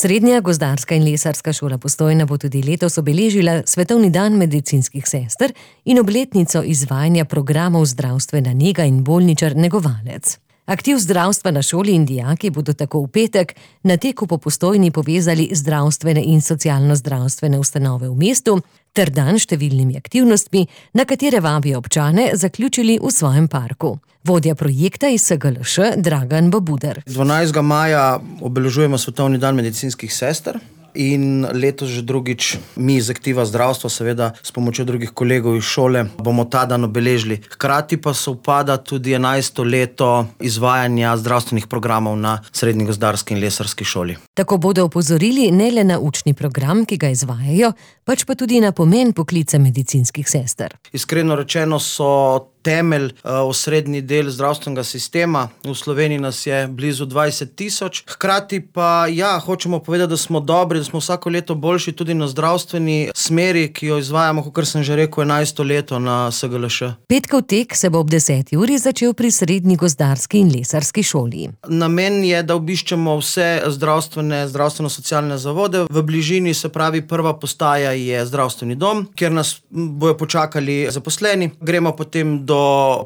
Srednja gozdarska in lesarska šola Postojna bo tudi letos obeležila Svetovni dan medicinskih sester in obletnico izvajanja programov zdravstvena nega in bolničar negovalec. Aktiv zdravstva na šoli in dijaki bodo tako v petek na teku po Postojni povezali zdravstvene in socialno-zdravstvene ustanove v mestu ter dan številnimi aktivnostmi, na katere vabijo občane, zaključili v svojem parku. Vodja projekta iz SGLŠ Dragan Babuder. 12. maja obeležujemo Svetovni dan medicinskih sester. In letos že drugič mi iz aktiva zdravstva, seveda s pomočjo drugih kolegov iz šole, bomo ta dan obeležili. Hkrati pa sovpada tudi 11. leto izvajanja zdravstvenih programov na Srednji gozdarski in lesarski šoli. Tako bodo opozorili ne le na učni program, ki ga izvajajo, pač pa tudi na pomen poklica medicinskih sester. Iskreno rečeno so temelj, osrednji del zdravstvenega sistema. V Sloveniji nas je blizu 20.000. Hkrati pa hočemo povedati, da smo dobri, da smo vsako leto boljši tudi na zdravstveni smeri, ki jo izvajamo, kakor sem že rekel, 11. leto na SGLŠ. Petkov tek se bo ob 10. uri začel pri Srednji gozdarski in lesarski šoli. Namen je, da obiščemo vse zdravstveno-socialne zavode. V bližini, se pravi, prva postaja je zdravstveni dom, kjer nas bojo počakali zaposleni. Gremo potem do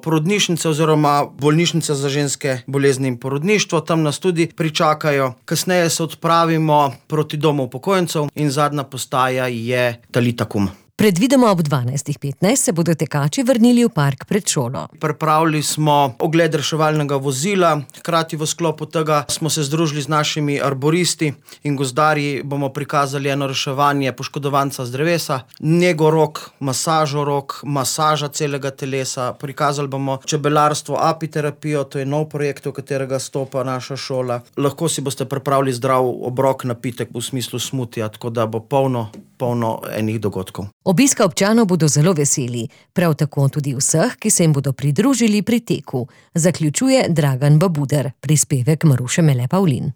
porodnišnice oziroma bolnišnice za ženske bolezni in porodništvo. Tam nas tudi pričakajo. Kasneje se odpravimo proti domu upokojencev in zadnja postaja je Talita Kum. Predvidoma ob 12.15 se bodo tekači vrnili v park pred šolo. Pripravili smo ogled reševalnega vozila, hkrati v sklopu tega smo se združili z našimi arboristi in gozdarji, bomo prikazali eno reševanje poškodovanca z drevesa, nego rok, masažo rok, masaža celega telesa, prikazali bomo čebelarstvo, apiterapijo, to je nov projekt, v katerega stopa naša šola. Lahko si boste pripravili zdrav obrok, napitek v smislu smutija, tako da bo polno enih dogodkov. Obiska občanov bodo zelo veseli, prav tako tudi vseh, ki se jim bodo pridružili pri teku, zaključuje Dragan Babuder, prispevek Maruše Mele Pavlin.